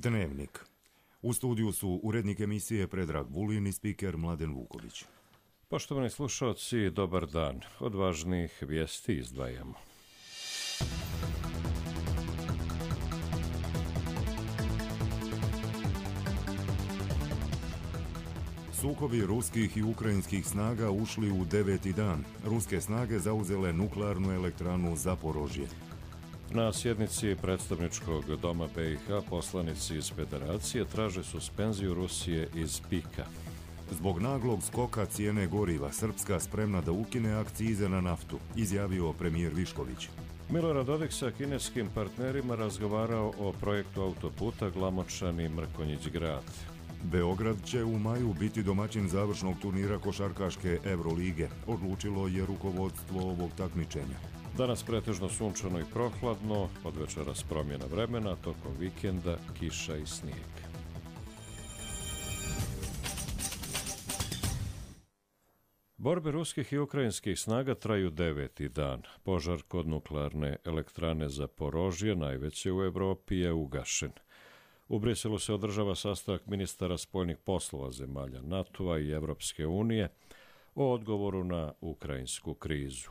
Dnevnik. U studiju su urednik emisije Predrag Vulin i spiker Mladen Vuković. Poštovani slušalci, dobar dan. Od važnih vijesti izdvajamo. Sukobi ruskih i ukrajinskih snaga ušli u 9. dan. Ruske snage zauzele nuklearnu elektranu Zaporožje. Na sjednici predstavničkog doma BiH poslanici iz Federacije traže suspenziju Rusije iz PIK-a. Zbog naglog skoka cijene goriva, Srpska spremna da ukine akcize na naftu, izjavio premijer Višković. Milorad Dodik sa kineskim partnerima razgovarao o projektu autoputa Glamočani-Mrkonjić grad. Beograd će u maju biti domaćin završnog turnira košarkaške Evrolige, odlučilo je rukovodstvo ovog takmičenja. Danas pretežno sunčano i prohladno, od večeras promjena vremena, tokom vikenda kiša i snijeg. Borbe ruskih i ukrajinskih snaga traju 9. dan. Požar kod nuklearne elektrane Zaporožje, najveće u Europi, je ugašen. U Briselu se održava sastanak ministara spoljnih poslova zemalja NATO-a i Evropske unije o odgovoru na ukrajinsku krizu.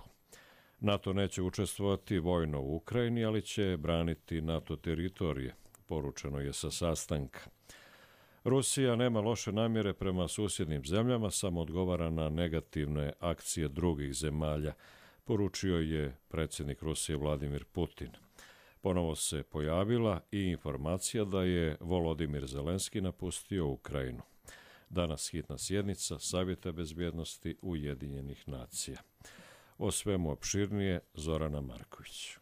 NATO neće učestvovati vojno u Ukrajini, ali će braniti NATO teritorije, poručeno je sa sastanka. Rusija nema loše namjere prema susjednim zemljama, samo odgovara na negativne akcije drugih zemalja, poručio je predsjednik Rusije Vladimir Putin. Ponovo se pojavila i informacija da je Volodimir Zelenski napustio Ukrajinu. Danas hitna sjednica Savjeta bezbjednosti Ujedinjenih nacija. O svemu opširnije Zorana Marković.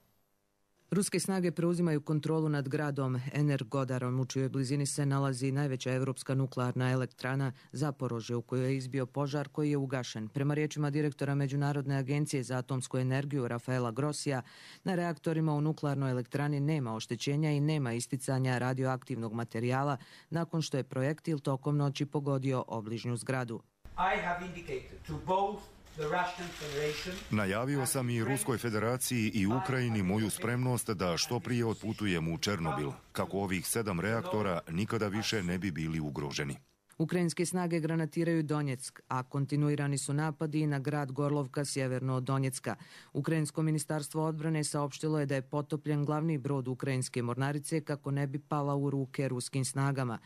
Ruske snage preuzimaju kontrolu nad gradom Energodarom, u čijoj blizini se nalazi najveća evropska nuklearna elektrana Zaporožje, u kojoj je izbio požar koji je ugašen. Prema riječima direktora Međunarodne agencije za atomsku energiju Rafaela Grossija, na reaktorima u nuklearnoj elektrani nema oštećenja i nema isticanja radioaktivnog materijala nakon što je projektil tokom noći pogodio obližnju zgradu. I have indicated to both Najavio sam i Ruskoj federaciji i Ukrajini moju spremnost da što prije otputujem u Černobil, kako ovih 7 reaktora nikada više ne bi bili ugroženi. Ukrajinske snage granatiraju Donjeck, a kontinuirani su napadi na grad Gorlovka sjeverno od Donjecka. Ukrajinsko ministarstvo odbrane saopštilo je da je potopljen glavni brod ukrajinske mornarice kako ne bi pala u ruke ruskim snagama.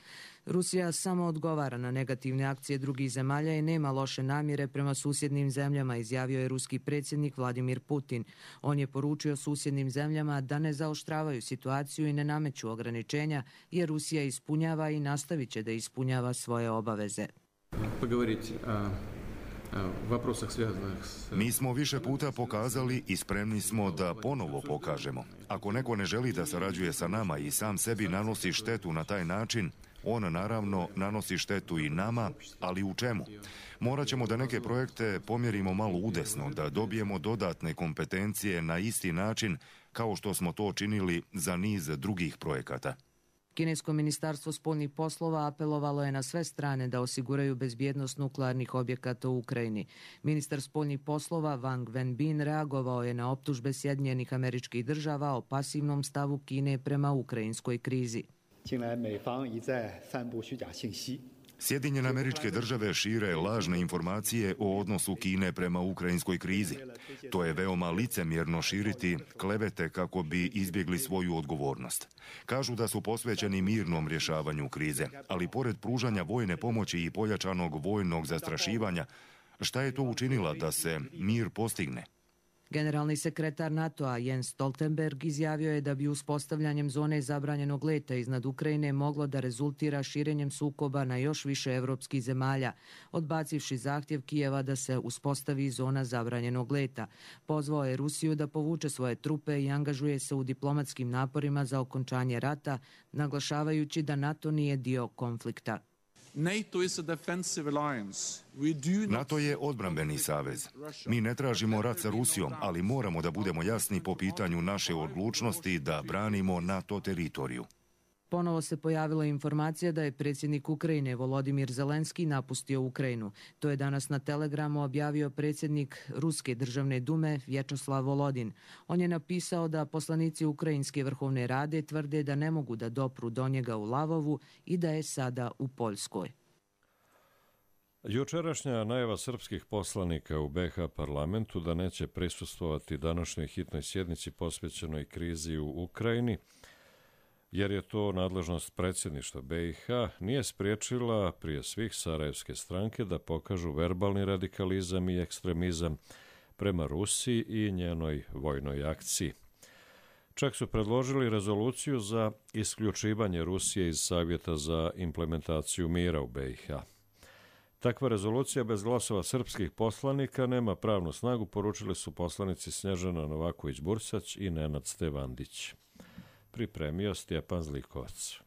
Rusija samo odgovara na negativne akcije drugih zemalja i nema loše namjere prema susjednim zemljama, izjavio je ruski predsjednik Vladimir Putin. On je poručio susjednim zemljama da ne zaoštravaju situaciju i ne nameću ograničenja, jer Rusija ispunjava i nastavit će da ispunjava svoje obaveze. Mi smo više puta pokazali i spremni smo da ponovo pokažemo. Ako neko ne želi da sarađuje sa nama i sam sebi nanosi štetu na taj način, on naravno nanosi štetu i nama, ali u čemu? Morat ćemo da neke projekte pomjerimo malo udesno, da dobijemo dodatne kompetencije na isti način kao što smo to činili za niz drugih projekata. Kinesko ministarstvo spoljnih poslova apelovalo je na sve strane da osiguraju bezbjednost nuklearnih objekata u Ukrajini. Ministar spoljnih poslova Wang Wenbin reagovao je na optužbe Sjedinjenih Američkih Država o pasivnom stavu Kine prema ukrajinskoj krizi. Sjedinjene Američke Države šire lažne informacije o odnosu Kine prema ukrajinskoj krizi. To je veoma licemjerno širiti klevete kako bi izbjegli svoju odgovornost. Kažu da su posvećeni mirnom rješavanju krize, ali pored pružanja vojne pomoći i pojačanog vojnog zastrašivanja, šta je to učinila da se mir postigne? Generalni sekretar NATO-a Jens Stoltenberg izjavio je da bi uspostavljanjem zone zabranjenog leta iznad Ukrajine moglo da rezultira širenjem sukoba na još više evropskih zemalja, odbacivši zahtjev Kijeva da se uspostavi zona zabranjenog leta. Pozvao je Rusiju da povuče svoje trupe i angažuje se u diplomatskim naporima za okončanje rata, naglašavajući da NATO nije dio konflikta. NATO je odbrambeni savez. Mi ne tražimo rat sa Rusijom, ali moramo da budemo jasni po pitanju naše odlučnosti da branimo NATO teritoriju. Ponovo se pojavila informacija da je predsjednik Ukrajine Volodimir Zelenski napustio Ukrajinu. To je danas na Telegramu objavio predsjednik Ruske državne dume Vječeslav Volodin. On je napisao da poslanici Ukrajinske vrhovne rade tvrde da ne mogu da dopru do njega u Lavovu i da je sada u Poljskoj. Jučerašnja najava srpskih poslanika u BiH parlamentu da neće prisustvovati današnjoj hitnoj sjednici posvećenoj krizi u Ukrajini, jer je to nadležnost predsjedništva BiH, nije spriječila prije svih sarajevske stranke da pokažu verbalni radikalizam i ekstremizam prema Rusiji i njenoj vojnoj akciji. Čak su predložili rezoluciju za isključivanje Rusije iz Savjeta za implementaciju mira u BiH. Takva rezolucija bez glasova srpskih poslanika nema pravnu snagu, poručili su poslanici Snježana Novaković-Bursać i Nenad Stevandić. Pripremio Stjepan Zlikovac.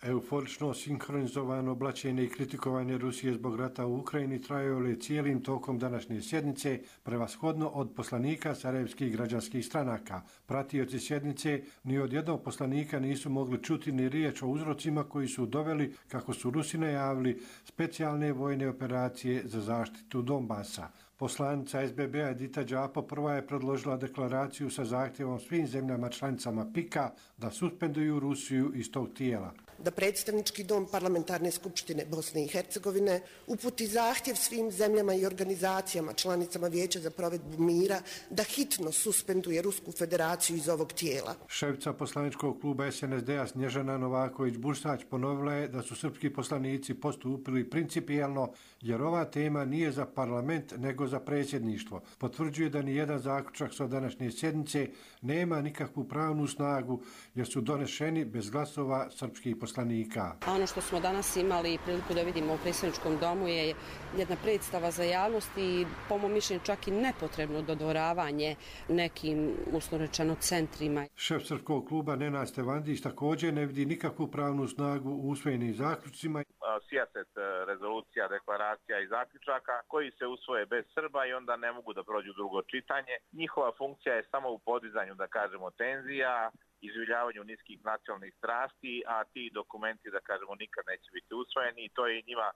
Euforično sinhronizovano oblačenje i kritikovanje Rusije zbog rata u Ukrajini trajalo je cijelim tokom današnje sjednice, prevashodno od poslanika sarajevskih građanskih stranaka. Pratioci sjednice ni od jednog poslanika nisu mogli čuti ni riječ o uzrocima koji su doveli, kako su Rusi najavili, specijalne vojne operacije za zaštitu Donbasa. Poslanica SBB-a Edita Đapo prva je predložila deklaraciju sa zahtjevom svim zemljama članicama PIK-a da suspenduju Rusiju iz tog tijela. Da predstavnički dom Parlamentarne skupštine Bosne i Hercegovine uputi zahtjev svim zemljama i organizacijama članicama Vijeća za provedbu mira da hitno suspenduje Rusku federaciju iz ovog tijela. Šefica poslaničkog kluba SNSD-a Snježana Novaković-Bursać ponovila je da su srpski poslanici postupili principijelno jer ova tema nije za parlament nego za predsjedništvo. Potvrđuje da nijedan zaključak sa današnje sjednice nema nikakvu pravnu snagu jer su donešeni bez glasova srpskih poslanika. Ono što smo danas imali priliku da vidimo u predsjedničkom domu je jedna predstava za javnost i po mom mišljenju čak i nepotrebno dodvoravanje nekim, uslovno rečeno, centrima. Šef srpskog kluba Nenad Stevandić također ne vidi nikakvu pravnu snagu u usvojenim zaključcima. Sijaset rezolucija, deklaracija i zaključaka koji se usvoje bez Srba i onda ne mogu da prođu drugo čitanje. Njihova funkcija je samo u podizanju, da kažemo, tenzija, izživljavanju niskih nacionalnih strasti, a ti dokumenti, da kažemo, nikad neće biti usvojeni i to je njima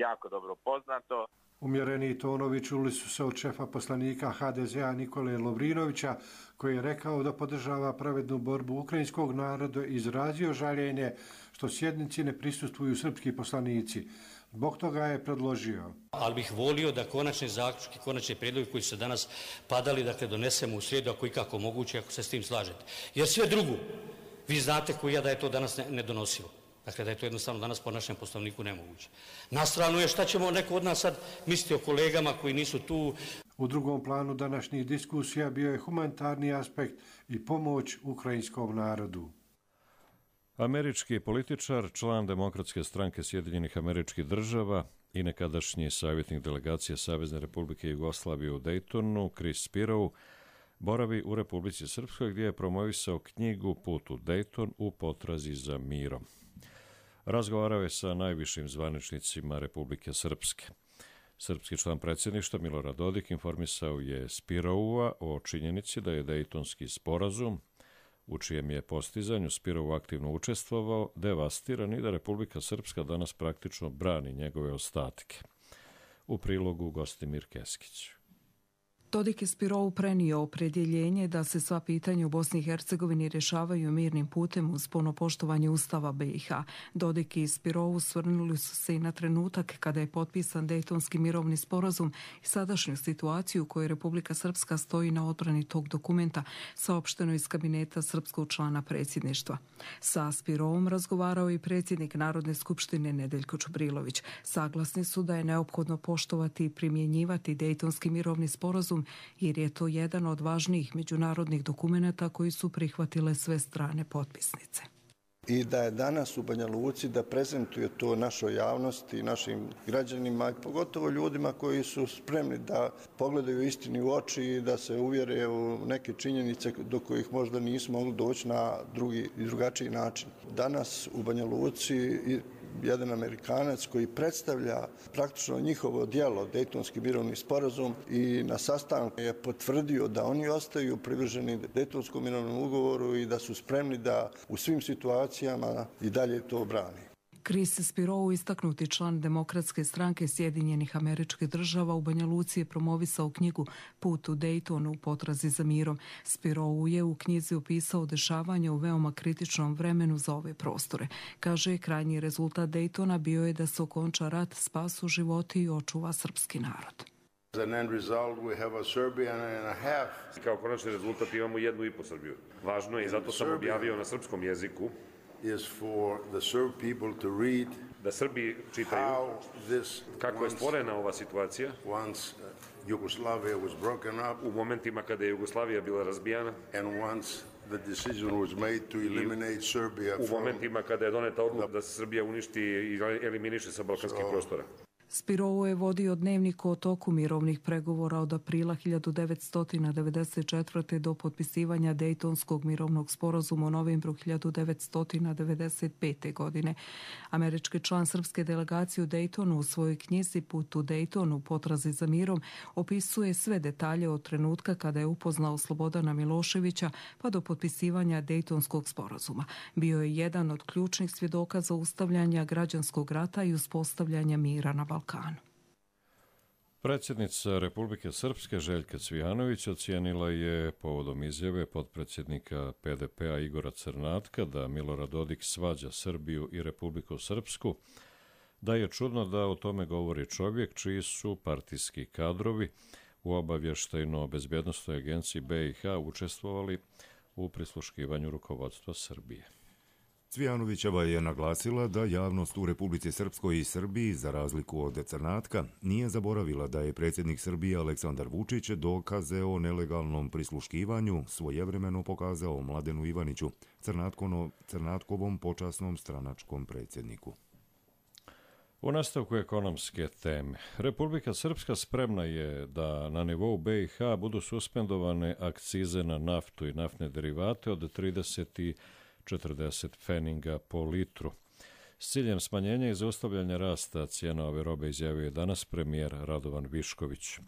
jako dobro poznato. Umjereni tonovi čuli su se od šefa poslanika HDZ-a Nikole Lovrinovića, koji je rekao da podržava pravednu borbu ukrajinskog naroda i izrazio žaljenje što sjednici ne prisustvuju srpski poslanici. Zbog toga je predložio. Ali bih volio da konačne zaključke, konačne prijedloge koji su danas padali, dakle donesemo u srijedu, ako i kako moguće, ako se s tim slažete. Jer sve drugo, vi znate koji ja da je to danas nedonosivo. Dakle, da je to jednostavno danas po našem poslovniku nemoguće. Na stranu je šta ćemo neko od nas sad misliti o kolegama koji nisu tu. U drugom planu današnjih diskusija bio je humanitarni aspekt i pomoć ukrajinskom narodu. Američki političar, član Demokratske stranke Sjedinjenih Američkih Država i nekadašnji savjetnik delegacije Savezne Republike Jugoslavije u Daytonu, Chris Spirou, boravi u Republici Srpskoj gdje je promovisao knjigu Put u Dayton u potrazi za mirom. Razgovarao je sa najvišim zvaničnicima Republike Srpske. Srpski član predsjedništva Milorad Dodik informisao je Spiroua o činjenici da je Dejtonski sporazum, u čijem je postizanju Spirou aktivno učestvovao, devastiran i da Republika Srpska danas praktično brani njegove ostatke. U prilogu Gostimir Keskić. Dodik je Spirou prenio opredjeljenje da se sva pitanja u Bosni i Hercegovini rješavaju mirnim putem uz puno poštovanje Ustava BiH. Dodik i Spirou svrnuli su se i na trenutak kada je potpisan Dejtonski mirovni sporazum i sadašnju situaciju u kojoj Republika Srpska stoji na odbrani tog dokumenta, saopšteno iz kabineta srpskog člana predsjedništva. Sa Spirovom razgovarao i predsjednik Narodne skupštine Nedeljko Čubrilović. Saglasni su da je neophodno poštovati i primjenjivati Dejtonski mirovni sporazum jer je to jedan od važnijih međunarodnih dokumenata koji su prihvatile sve strane potpisnice. I da je danas u Banja Luci da prezentuje to našoj javnosti, našim građanima, pogotovo ljudima koji su spremni da pogledaju istini u oči i da se uvjere u neke činjenice do kojih možda nismo mogli doći na drugačiji način. Danas u Banja Luci jedan Amerikanac koji predstavlja praktično njihovo djelo, Dejtonski mirovni sporazum, i na sastanku je potvrdio da oni ostaju privrženi Dejtonskom mirovnom ugovoru i da su spremni da u svim situacijama i dalje to brani. Chris Spirou, istaknuti član Demokratske stranke Sjedinjenih Američkih Država, u Banja Luci je promovisao knjigu Put u Dejtonu u potrazi za mirom. Spirou je u knjizi opisao dešavanja u veoma kritičnom vremenu za ove prostore. Kaže, krajnji rezultat Dejtona bio je da se okonča rat, spasu životi i očuva srpski narod. Kao konačni rezultat imamo 1,5 Srbiju. Važno je i zato sam objavio na srpskom jeziku da Srbi čitaju kako je stvorena ova situacija u momentima kada je Jugoslavija bila razbijana, u momentima kada je doneta odluka da se Srbija uništi i eliminiše sa balkanskih prostora. Spirou je vodio dnevnik o toku mirovnih pregovora od aprila 1994. do potpisivanja Dejtonskog mirovnog sporazuma u novembru 1995. godine. Američki član srpske delegacije u Dejtonu u svojoj knjizi Put u Dejtonu u potrazi za mirom opisuje sve detalje od trenutka kada je upoznao Slobodana Miloševića pa do potpisivanja Dejtonskog sporazuma. Bio je jedan od ključnih svjedoka zaustavljanja građanskog rata i uspostavljanja mira na Balkanu. Predsjednica Republike Srpske Željka Cvijanović ocijenila je povodom izjave potpredsjednika PDP-a Igora Crnatka da Milorad Dodik svađa Srbiju i Republiku Srpsku, da je čudno da o tome govori čovjek čiji su partijski kadrovi u obavještajno-bezbjednostnoj agenciji BiH učestvovali u prisluškivanju rukovodstva Srbije. Cvijanovićeva je naglasila da javnost u Republici Srpskoj i Srbiji, za razliku od Crnatka, nije zaboravila da je predsjednik Srbije Aleksandar Vučić dokaze o nelegalnom prisluškivanju svojevremeno pokazao Mladenu Ivaniću, Crnatkovom počasnom stranačkom predsjedniku. U nastavku ekonomske teme, Republika Srpska spremna je da na nivou BiH budu suspendovane akcize na naftu i naftne derivate od 30 i 40 pfeninga po litru. S ciljem smanjenja i zaustavljanja rasta cijena ove robe izjavio je danas premijer Radovan Višković.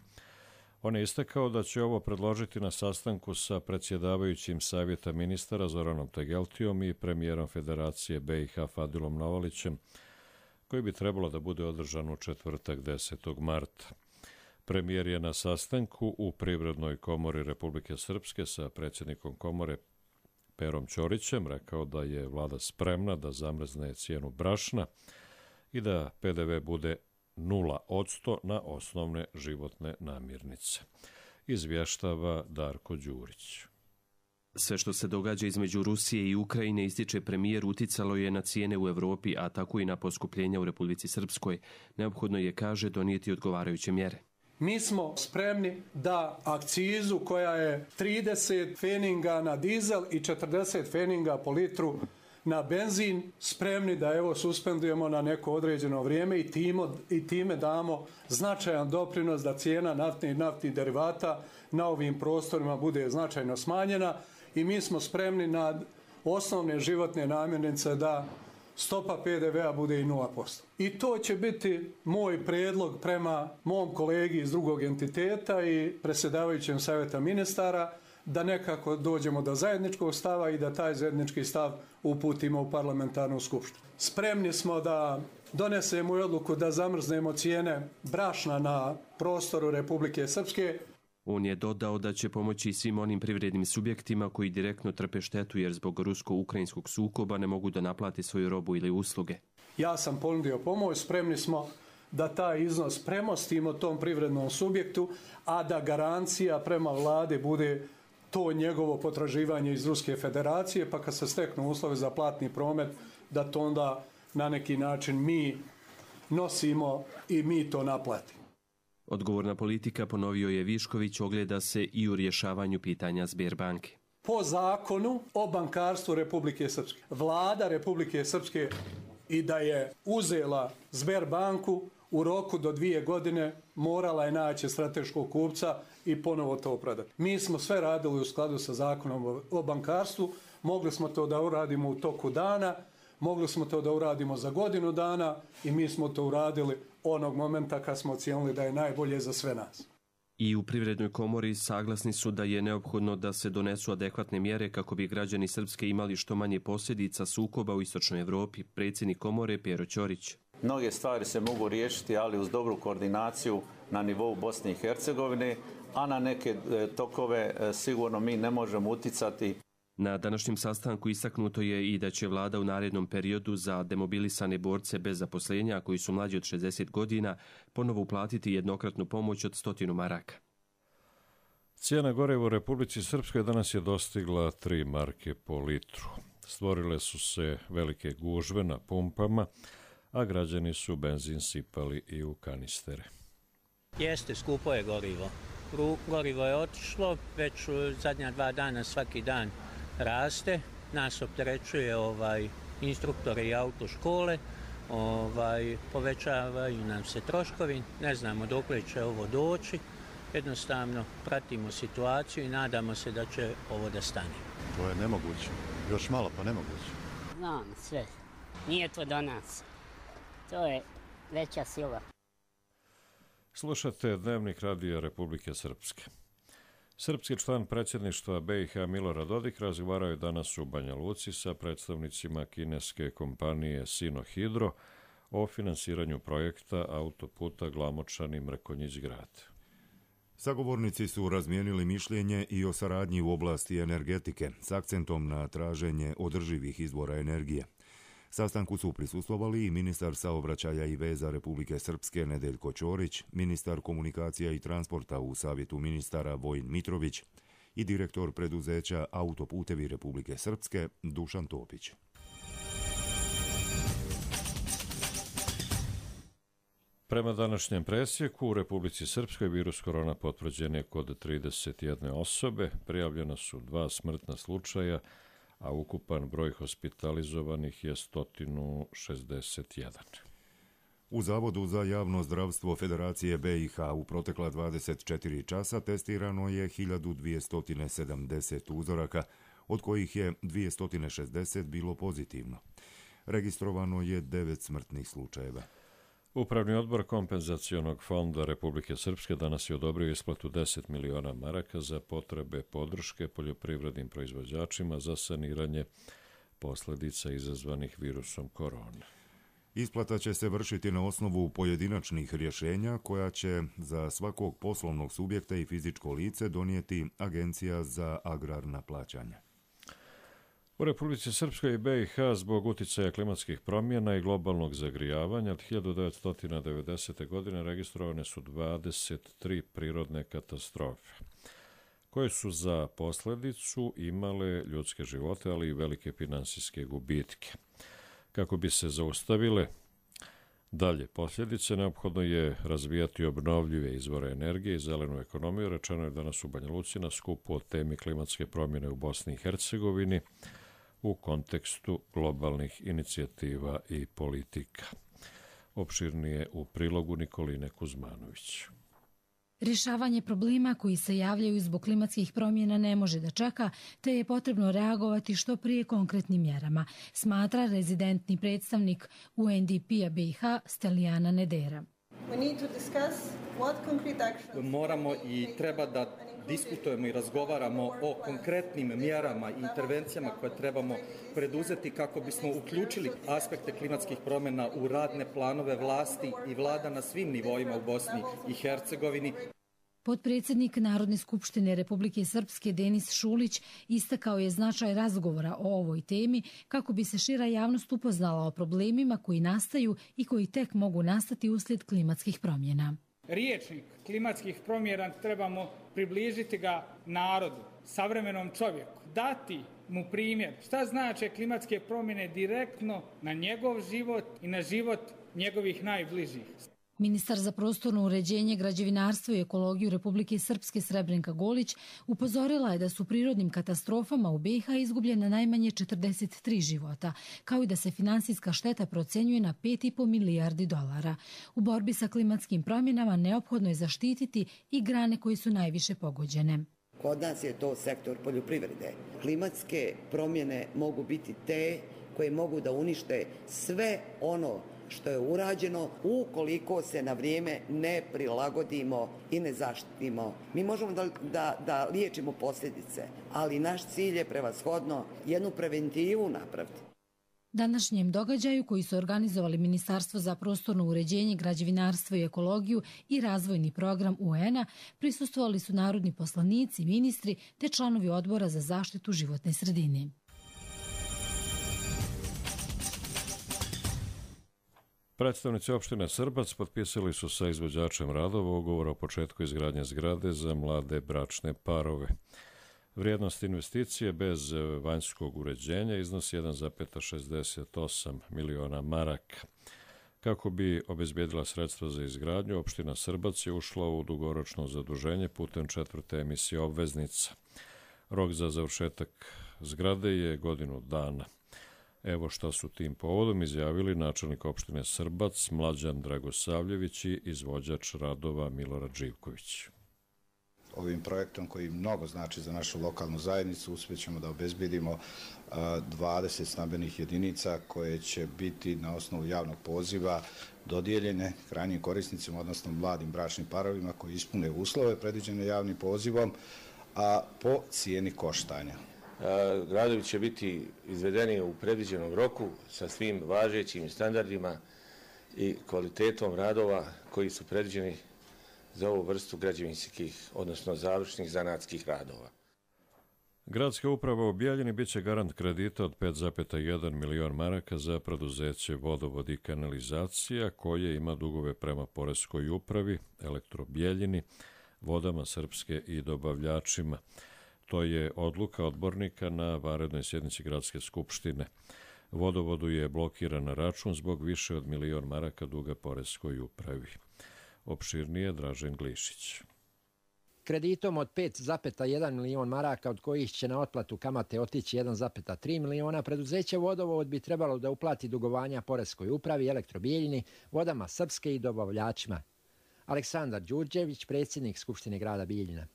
On je istakao da će ovo predložiti na sastanku sa predsjedavajućim savjeta ministara Zoranom Tegeltijom i premijerom Federacije BiH Fadilom Novalićem, koji bi trebalo da bude održan u četvrtak 10. marta. Premijer je na sastanku u Privrednoj komori Republike Srpske sa predsjednikom komore Perom Ćorićem rekao da je vlada spremna da zamrzne cijenu brašna i da PDV bude 0% na osnovne životne namirnice. Izvještava Darko Đurić. Sve što se događa između Rusije i Ukrajine, ističe premijer, uticalo je na cijene u Evropi, a tako i na poskupljenja u Republici Srpskoj. Neophodno je, kaže, donijeti odgovarajuće mjere. Mi smo spremni da akcizu koja je 30 pfeninga na dizel i 40 pfeninga po litru na benzin, spremni da evo suspendujemo na neko određeno vrijeme i time damo značajan doprinos da cijena naftnih i naftnih derivata na ovim prostorima bude značajno smanjena i mi smo spremni na osnovne životne namirnice da stopa PDV-a bude i 0%. I to će biti moj predlog prema mom kolegi iz drugog entiteta i predsjedavajućem savjeta ministara da nekako dođemo do zajedničkog stava i da taj zajednički stav uputimo u parlamentarnu skupštinu. Spremni smo da donesemo odluku da zamrznemo cijene brašna na prostoru Republike Srpske. On je dodao da će pomoći svim onim privrednim subjektima koji direktno trpe štetu jer zbog rusko-ukrajinskog sukoba ne mogu da naplati svoju robu ili usluge. Ja sam ponudio pomoć, spremni smo da taj iznos premostimo tom privrednom subjektu, a da garancija prema vlade bude to njegovo potraživanje iz Ruske federacije, pa kad se steknu uslovi za platni promet, da to onda na neki način mi nosimo i mi to naplatimo. Odgovorna politika, ponovio je Višković, ogleda se i u rješavanju pitanja Sberbanke. Po zakonu o bankarstvu Republike Srpske, vlada Republike Srpske i da je uzela Sberbanku u roku do 2 godine morala je naći strateškog kupca i ponovo to prodati. Mi smo sve radili u skladu sa zakonom o bankarstvu, mogli smo to da uradimo u toku dana, mogli smo to da uradimo za godinu dana i mi smo to uradili onog momenta kad smo ocijenili da je najbolje za sve nas. I u Privrednoj komori saglasni su da je neophodno da se donesu adekvatne mjere kako bi građani Srpske imali što manje posljedica sukoba u Istočnoj Evropi. Predsjednik komore Pero Ćorić. Mnoge stvari se mogu riješiti, ali uz dobru koordinaciju na nivou Bosne i Hercegovine, a na neke tokove sigurno mi ne možemo uticati. Na današnjem sastanku istaknuto je i da će vlada u narednom periodu za demobilisane borce bez zaposlenja koji su mlađi od 60 godina ponovo uplatiti jednokratnu pomoć od 100 maraka. Cijena goriva u Republici Srpskoj danas je dostigla 3 marke po litru. Stvorile su se velike gužve na pumpama, a građani su benzin sipali i u kanistere. Jeste, skupo je gorivo. Gorivo je otišlo, već zadnja 2 dana svaki dan raste. Nas opterećuje instruktore i autoškole, povećavaju nam se troškovi, ne znamo dokle će ovo doći. Jednostavno pratimo situaciju i nadamo se da će ovo da stane. To je nemoguće, još malo pa nemoguće. Znam sve, nije to do nas, to je veća sila. Slušate Dnevnik Radija Republike Srpske. Srpski član predsjedništva BiH Milorad Dodik razgovarao je danas u Banja Luci sa predstavnicima kineske kompanije Sinohydro o finansiranju projekta autoputa Glamočani-Mrkonjić-Grad. Sagovornici su razmijenili mišljenje i o saradnji u oblasti energetike s akcentom na traženje održivih izvora energije. Sastanku su prisustvovali i ministar saobraćaja i veza Republike Srpske Nedeljko Ćorić, ministar komunikacija i transporta u Savjetu ministara Vojin Mitrović i direktor preduzeća Autoputevi Republike Srpske Dušan Topić. Prema današnjem presjeku u Republici Srpskoj virus korona potvrđen je kod 31 osobe, prijavljena su 2 smrtna slučaja, a ukupan broj hospitalizovanih je 161. U Zavodu za javno zdravstvo Federacije BiH u protekla 24 časa testirano je 1270 uzoraka, od kojih je 260 bilo pozitivno. Registrovano je 9 smrtnih slučajeva. Upravni odbor Kompenzacionog fonda Republike Srpske danas je odobrio isplatu 10 miliona maraka za potrebe podrške poljoprivrednim proizvođačima za saniranje posljedica izazvanih virusom korone. Isplata će se vršiti na osnovu pojedinačnih rješenja koja će za svakog poslovnog subjekta i fizičko lice donijeti Agencija za agrarna plaćanja. U Republici Srpskoj i BiH zbog uticaja klimatskih promjena i globalnog zagrijavanja od 1990. godine registrovane su 23 prirodne katastrofe, koje su za posljedicu imale ljudske živote, ali i velike finansijske gubitke. Kako bi se zaustavile dalje posljedice, neophodno je razvijati obnovljive izvore energije i zelenu ekonomiju, rečeno je danas u Banja Luci na skupu o temi klimatske promjene u Bosni i Hercegovini u kontekstu globalnih inicijativa i politika. Opširnije u prilogu Nikoline Kuzmanović. Rješavanje problema koji se javljaju zbog klimatskih promjena ne može da čeka, te je potrebno reagovati što prije konkretnim mjerama, smatra rezidentni predstavnik UNDP-a BiH Stelijana Nedera. Moramo i treba da diskutujemo i razgovaramo o konkretnim mjerama i intervencijama koje trebamo preduzeti kako bismo uključili aspekte klimatskih promjena u radne planove vlasti i vlada na svim nivoima u Bosni i Hercegovini. Potpredsjednik Narodne skupštine Republike Srpske Denis Šulić istakao je značaj razgovora o ovoj temi kako bi se šira javnost upoznala o problemima koji nastaju i koji tek mogu nastati uslijed klimatskih promjena. Riječnik klimatskih promjena trebamo približiti ga narodu, savremenom čovjeku, dati mu primjer šta znače klimatske promjene direktno na njegov život i na život njegovih najbližih. Ministar za prostorno uređenje, građevinarstvo i ekologiju Republike Srpske Srebrenka Golić upozorila je da su prirodnim katastrofama u BiH izgubljena najmanje 43 života, kao i da se finansijska šteta procenjuje na 5,5 milijardi dolara. U borbi sa klimatskim promjenama neophodno je zaštititi i grane koje su najviše pogođene. Kod nas je to sektor poljoprivrede. Klimatske promjene mogu biti te koje mogu da unište sve ono što je urađeno ukoliko se na vrijeme ne prilagodimo i ne zaštitimo. Mi možemo da liječimo posljedice, ali naš cilj je prevashodno jednu preventivu napraviti. Današnjem događaju koji su organizovali Ministarstvo za prostorno uređenje, građevinarstvo i ekologiju i razvojni program UN-a prisustvovali su narodni poslanici, ministri te članovi odbora za zaštitu životne sredine. Predstavnici opštine Srbac potpisali su sa izvođačem radova ugovor o početku izgradnje zgrade za mlade bračne parove. Vrijednost investicije bez vanjskog uređenja iznosi 1,68 miliona maraka. Kako bi obezbijedila sredstva za izgradnju, opština Srbac je ušla u dugoročno zaduženje putem 4. emisije obveznica. Rok za završetak zgrade je godinu dana. Evo šta su tim povodom izjavili načelnik opštine Srbac Mlađan Dragosavljević i izvođač radova Milorad Živković. Ovim projektom koji mnogo znači za našu lokalnu zajednicu uspjećemo da obezbedimo 20 stambenih jedinica koje će biti na osnovu javnog poziva dodijeljene krajnjim korisnicima, odnosno mladim bračnim parovima koji ispune uslove predviđene javnim pozivom, a po cijeni koštanja. Radovi će biti izvedeni u predviđenom roku sa svim važećim standardima i kvalitetom radova koji su predviđeni za ovu vrstu građevinskih, odnosno završnih zanatskih radova. Gradska uprava u Bijeljini biće garant kredita od 5,1 milion maraka za preduzeće Vodovod i kanalizacija koje ima dugove prema Poreskoj upravi, Elektro Bijeljini, Vodama Srpske i dobavljačima. To je odluka odbornika na vanrednoj sjednici Gradske skupštine. Vodovodu je blokiran račun zbog više od milion maraka duga Poreskoj upravi. Opširnije Dražen Glišić. Kreditom od 5,1 milion maraka, od kojih će na otplatu kamate otići 1,3 miliona, preduzeće Vodovod bi trebalo da uplati dugovanja Poreskoj upravi, Elektro Bijeljini, Vodama Srpske i dobavljačima. Aleksandar Đurđević, predsjednik Skupštine grada Bijeljina.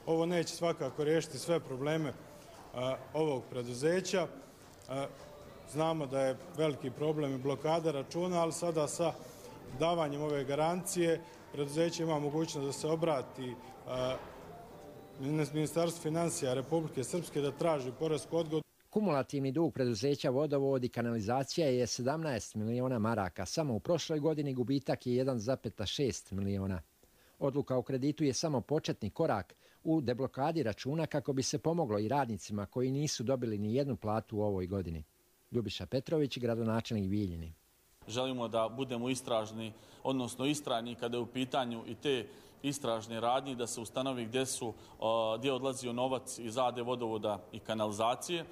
Ovo neće svakako riješiti sve probleme ovog preduzeća. Znamo da je veliki problem i blokada računa, ali sada sa davanjem ove garancije preduzeće ima mogućnost da se obrati Ministarstvu financija Republike Srpske da traži poresku odgodu. Kumulativni dug preduzeća Vodovod i kanalizacija je 17 miliona maraka. Samo u prošloj godini gubitak je 1,6 miliona. Odluka o kreditu je samo početni korak u deblokadi računa kako bi se pomoglo i radnicima koji nisu dobili ni jednu platu u ovoj godini. Ljubiša Petrović, gradonačelnik Bijeljine. Želimo da budemo istražni, odnosno istrajni kada je u pitanju i te istražne radnje, da se ustanovi gdje odlazio novac iz AD Vodovoda i kanalizacije.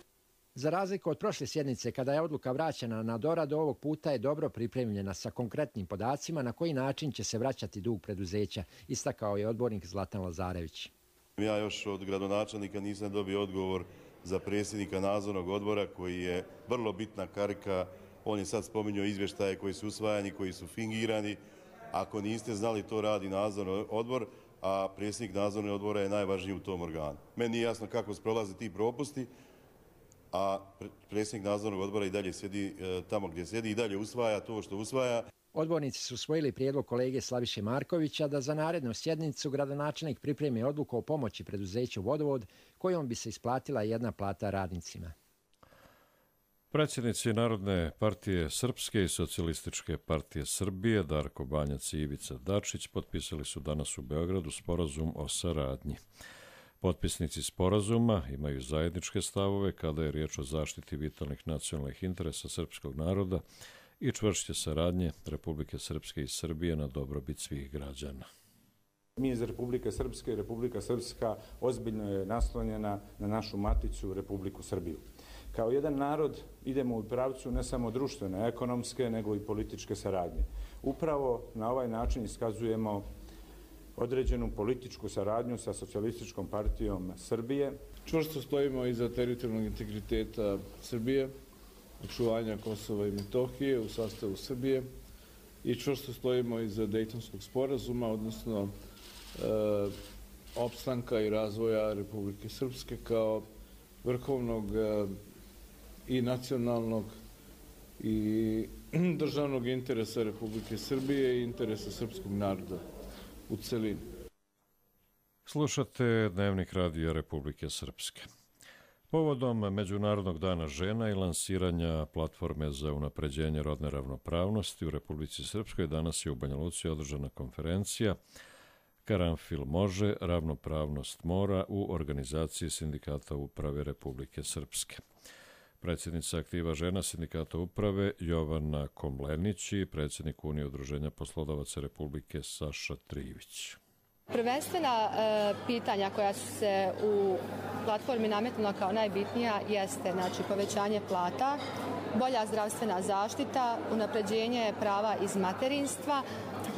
Za razliku od prošle sjednice, kada je odluka vraćena na doradu, ovog puta je dobro pripremljena sa konkretnim podacima na koji način će se vraćati dug preduzeća, istakao je odbornik Zlatan Lazarević. Ja još od gradonačelnika nisam dobio odgovor za predsjednika nadzornog odbora koji je vrlo bitna karika. On je sad spominjao izvještaje koji su usvajani, koji su fingirani. Ako niste znali, to radi nadzorni odbor, a predsjednik nadzornog odbora je najvažniji u tom organu. Meni nije jasno kako se prolaze ti propusti, a predsjednik nadzornog odbora i dalje sjedi tamo gdje sjedi i dalje usvaja to što usvaja. Odbornici su usvojili prijedlog kolege Slaviše Markovića da za narednu sjednicu gradonačelnik pripremi odluku o pomoći preduzeću Vodovod kojom bi se isplatila jedna plata radnicima. Predsjednici Narodne partije Srpske i Socijalističke partije Srbije Darko Banjac i Ivica Dačić potpisali su danas u Beogradu sporazum o saradnji. Potpisnici sporazuma imaju zajedničke stavove kada je riječ o zaštiti vitalnih nacionalnih interesa srpskog naroda i čvršće saradnje Republike Srpske i Srbije na dobrobit svih građana. Mi iz Republike Srpske i Republika Srpska ozbiljno je naslonjena na našu maticu Republiku Srbiju. Kao jedan narod idemo u pravcu ne samo društvene, ekonomske, nego i političke saradnje. Upravo na ovaj način iskazujemo određenu političku saradnju sa Socijalističkom partijom Srbije. Čvrsto stojimo iza teritorijalnog integriteta Srbije, očuvanja Kosova i Metohije u sastavu Srbije i čvrsto stojimo iza Dejtonskog sporazuma, odnosno opstanka i razvoja Republike Srpske kao vrhovnog i nacionalnog i državnog interesa Republike Srbije i interesa srpskog naroda u celini. Slušate Dnevnik radija Republike Srpske. Povodom Međunarodnog dana žena i lansiranja platforme za unapređenje rodne ravnopravnosti u Republici Srpskoj danas je u Banja Luci održana konferencija Karanfil može, ravnopravnost mora u organizaciji Sindikata uprave Republike Srpske. Predsjednica aktiva žena Sindikata uprave Jovana Komlenić i predsjednik Unije udruženja poslodavaca Republike Saša Trivić. Prvenstvena pitanja koja su se u platformi nametnula kao najbitnija jeste povećanje plata, bolja zdravstvena zaštita, unapređenje prava iz materinstva,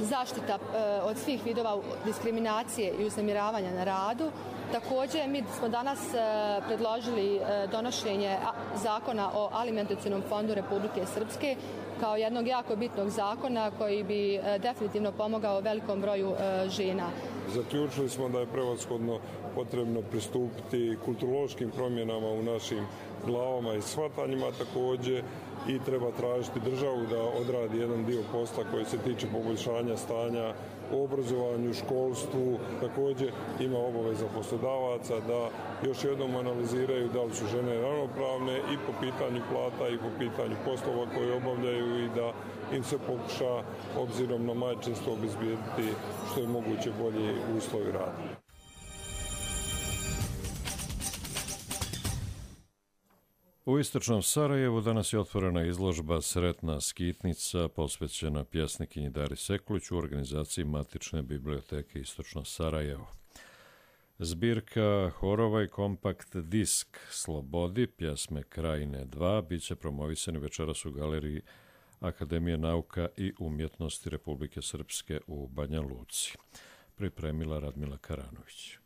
zaštita od svih vidova diskriminacije i uznemiravanja na radu. Također, mi smo danas predložili donošenje zakona o alimentacionom fondu Republike Srpske kao jednog jako bitnog zakona koji bi definitivno pomogao velikom broju žena. Zaključili smo da je prevashodno potrebno pristupiti kulturološkim promjenama u našim glavama i shvatanjima također i treba tražiti državu da odradi jedan dio posla koji se tiče poboljšanja stanja u obrazovanju, školstvu. Također ima obaveza poslodavaca da još jednom analiziraju da li su žene ravnopravne i po pitanju plata i po pitanju poslova koje obavljaju i da im se pokuša obzirom na majčinstvo obezbijediti što je moguće bolji uslovi rada. U istočnom Sarajevu danas je otvorena izložba Sretna skitnica posvećena pjesnikinji Dari Sekulić u organizaciji Matične biblioteke Istočno Sarajevo. Zbirka horova i kompakt disk Slobodi, pjesme Krajine 2, bit će promovisani večeras u galeriji Akademije nauka i umjetnosti Republike Srpske u Banja Luci. Pripremila Radmila Karanović.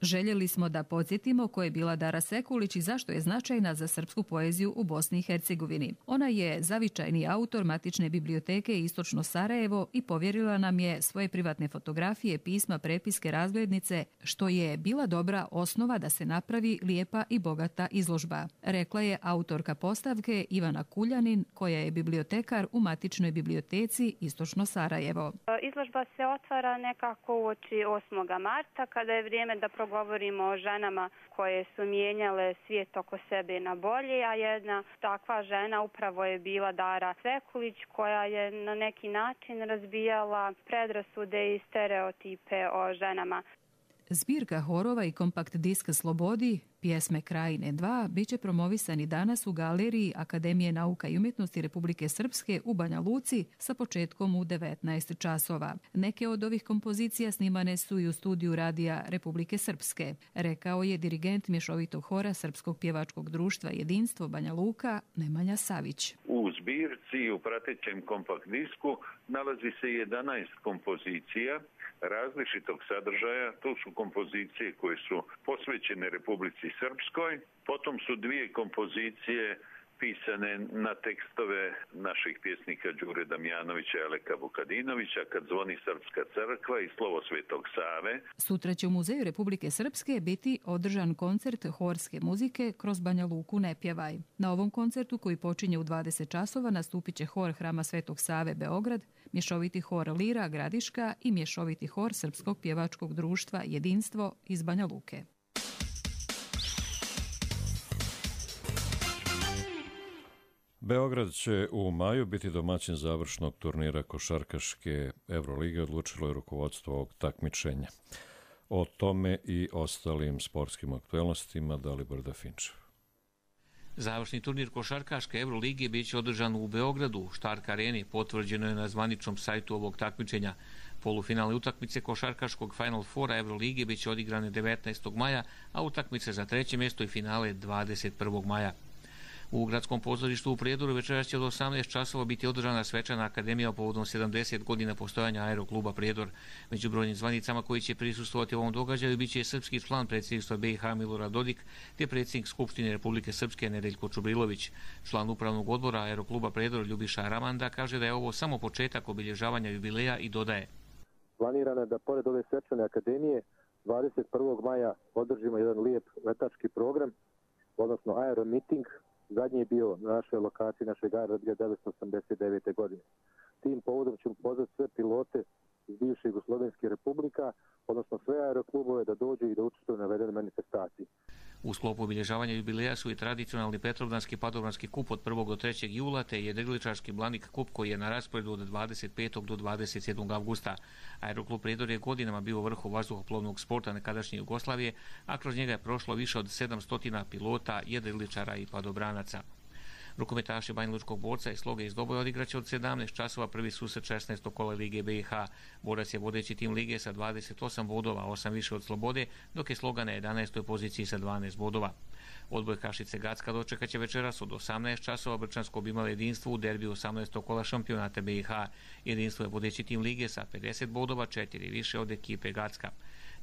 Željeli smo da podsjetimo ko je bila Dara Sekulić i zašto je značajna za srpsku poeziju u Bosni i Hercegovini. Ona je zavičajni autor Matične biblioteke Istočno Sarajevo i povjerila nam je svoje privatne fotografije, pisma, prepiske, razglednice, što je bila dobra osnova da se napravi lijepa i bogata izložba, rekla je autorka postavke Ivana Kuljanin, koja je bibliotekar u Matičnoj biblioteci Istočno Sarajevo. Izložba se otvara nekako uoči 8. marta, kada je vrijeme da govorimo o ženama koje su mijenjale svijet oko sebe na bolje, a jedna takva žena upravo je bila Dara Sekulić, koja je na neki način razbijala predrasude i stereotipe o ženama. Zbirka horova i kompakt disk Slobodi, pjesme Krajine 2, bit će promovisani danas u galeriji Akademije nauka i umjetnosti Republike Srpske u Banja Luci sa početkom u 19 časova. Neke od ovih kompozicija snimane su i u studiju radija Republike Srpske, rekao je dirigent mješovitog hora Srpskog pjevačkog društva Jedinstvo Banja Luka Nemanja Savić. U zbirci u pratećem kompakt disku nalazi se 11 kompozicija različitog sadržaja. To su kompozicije koje su posvećene Republici Srpskoj. Potom su 2 kompozicije pisane na tekstove naših pjesnika Đure Damjanovića i Aleka Vukadinovića, Kad zvoni Srpska crkva i Slovo Svetog Save. Sutra će u Muzeju Republike Srpske biti održan koncert horske muzike Kroz Banja Luku ne pjevaj. Na ovom koncertu, koji počinje u 20 časova, nastupit će hor Hrama Svetog Save Beograd, mješoviti hor Lira Gradiška i mješoviti hor Srpskog pjevačkog društva Jedinstvo iz Banja Luke. Beograd će u maju biti domaćin završnog turnira košarkaške Evrolige, odlučilo je rukovodstvo ovog takmičenja. O tome i ostalim sportskim aktuelnostima Dalibor Dafinčev. Završni turnir košarkaške Evrolige bit će održan u Beogradu, u Štark areni, potvrđeno je na zvaničnom sajtu ovog takmičenja. Polufinalne utakmice košarkaškog Final Fora Evrolige bit će odigrane 19. maja, a utakmice za 3. mjesto i finale 21. maja. U gradskom pozorištu u Prijedoru večeras će od 18 časova biti održana svečana akademija povodom 70 godina postojanja Aerokluba Prijedor. Među brojnim zvanicama koji će prisustvovati ovom događaju bit će srpski član predsjedništva BiH Milorad Dodik te predsjednik Skupštine Republike Srpske Nedeljko Čubrilović. Član upravnog odbora Aerokluba Prijedor Ljubiša Ramanda kaže da je ovo samo početak obilježavanja jubileja i dodaje. Planirano je da pored ove svečane akademije 21. maja održimo jedan lijep letački program, odnosno aeromiting, Zadnji je bio na našoj lokaciji našeg aerodroma 1989. godine. Tim povodom ćemo pozvati sve pilote iz bivše Jugoslovenske republika, odnosno sve aeroklubove da dođu i da učestvuju na navedenoj manifestaciji. U sklopu obilježavanja jubileja su i tradicionalni Petrovdanski padobranski kup od 1. do 3. jula te jedriličarski Blanik kup koji je na rasporedu od 25. do 27. avgusta. Aeroklub Prijedor je godinama bio u vrhu vazduhoplovnog sporta nekadašnje Jugoslavije, a kroz njega je prošlo više od 700 pilota, jedriličara i padobranaca. Rukometaši Banjalučkog Borca i Sloge iz Doboja odigraće od 17 časova prvi susret 16. kola Lige BiH. Borac je vodeći tim Lige sa 28 bodova, 8 više od Slobode, dok je Sloga na 11. poziciji sa 12 bodova. Odboj Kašice Gacka dočekat će večeras od 18 časova. Brčansko bi imalo jedinstvo u derbiju 18. kola šampionata BiH. Jedinstvo je vodeći tim Lige sa 50 bodova, 4 više od ekipe Gacka.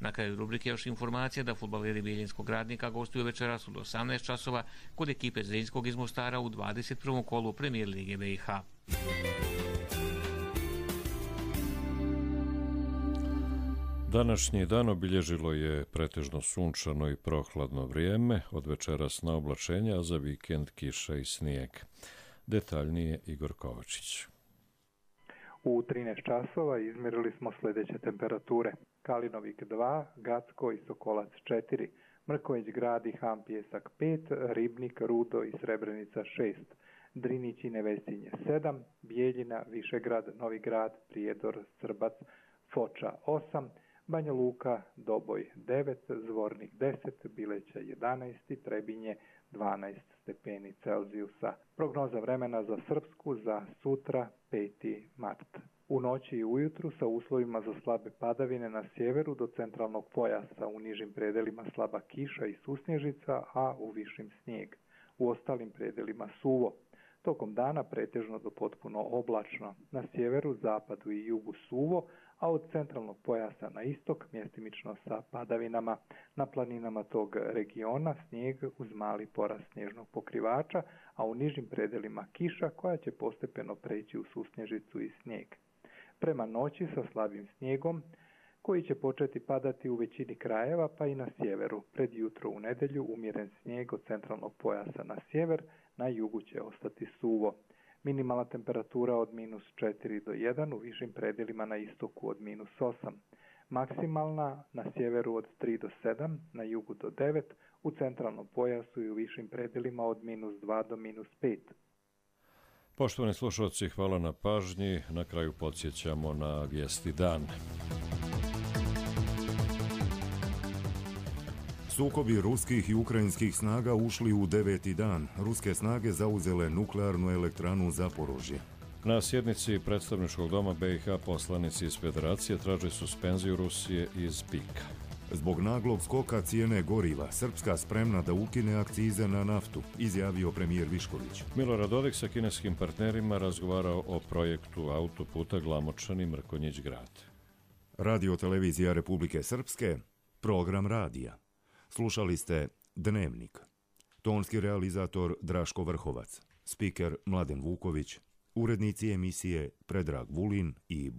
Na kraju rubrike još informacija da fudbaleri Bijeljinskog Radnika gostuju večeras od 18 časova kod ekipe Zrinjskog iz Mostara u 21. kolu Premijer Lige BiH. Današnji dan obilježilo je pretežno sunčano i prohladno vrijeme, od večeras na oblačenja, a za vikend kiša i snijeg. Detaljnije Igor Kovačić. U 13 časova izmjerili smo sljedeće temperature. Kalinovik 2, Gacko i Sokolac 4, Mrković Grad i Ham Pjesak 5, Ribnik, Rudo i Srebrenica 6, Drinić i Nevesinje 7, Bijeljina, Višegrad, Novi Grad, Prijedor, Srbac, Foča 8, Banja Luka, Doboj 9, Zvornik 10, Bileća 11 i Trebinje 12 stepeni Celzijusa. Prognoza vremena za Srpsku za sutra 5. mart. U noći i ujutru sa uslovima za slabe padavine na sjeveru do centralnog pojasa, u nižim predelima slaba kiša i susnježica, a u višim snijeg. U ostalim predelima suvo. Tokom dana pretežno do potpuno oblačno. Na sjeveru, zapadu i jugu suvo, a od centralnog pojasa na istok mjestimično sa padavinama. Na planinama tog regiona snijeg uz mali porast snježnog pokrivača, a u nižim predelima kiša koja će postepeno preći u susnježicu i snijeg. Prema noći sa slabim snijegom koji će početi padati u većini krajeva pa i na sjeveru. Pred jutro u nedjelju umjeren snijeg od centralnog pojasa na sjever, na jugu će ostati suvo. Minimalna temperatura od -4 do 1, u višim predjelima na istoku od -8. Maksimalna na sjeveru od 3 do 7, na jugu do 9, u centralnom pojasu i u višim predjelima od -2 do -5. Poštovani slušalci, hvala na pažnji. Na kraju podsjećamo na vijesti dana. Sukobi ruskih i ukrajinskih snaga ušli u 9. dan. Ruske snage zauzele nuklearnu elektranu Zaporožje. Na sjednici predstavničkog doma BiH poslanici iz Federacije traže suspenziju Rusije iz PIK-a. Zbog naglog skoka cijene goriva, Srpska spremna da ukine akcize na naftu, izjavio premijer Višković. Milorad Dodik sa kineskim partnerima razgovarao o projektu autoputa Glamočani-Mrkonjić Grad. Radio televizija Republike Srpske, program radija. Slušali ste Dnevnik. Tonski realizator Draško Vrhovac, spiker Mladen Vuković, urednici emisije Predrag Vulin i